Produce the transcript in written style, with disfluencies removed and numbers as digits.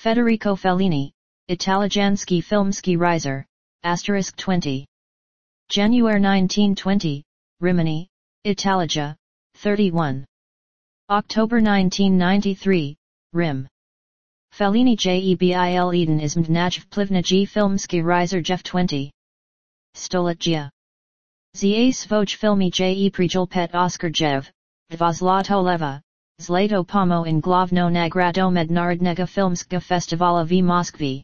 Federico Fellini, Italiansky filmski riser, *20. January 1920, Rimini, Italia, 31. October 1993, Rim. Fellini Jebil Eden is Mdnaj Plivnij filmski riser Jeff 20. Stoletja. Za svoj filmi je prijulpet Oscar Jev, Dvozlato leva, Zlato Pomo in Glavno Nagrado Mednarodnega Filmska Festivala v Moskvi.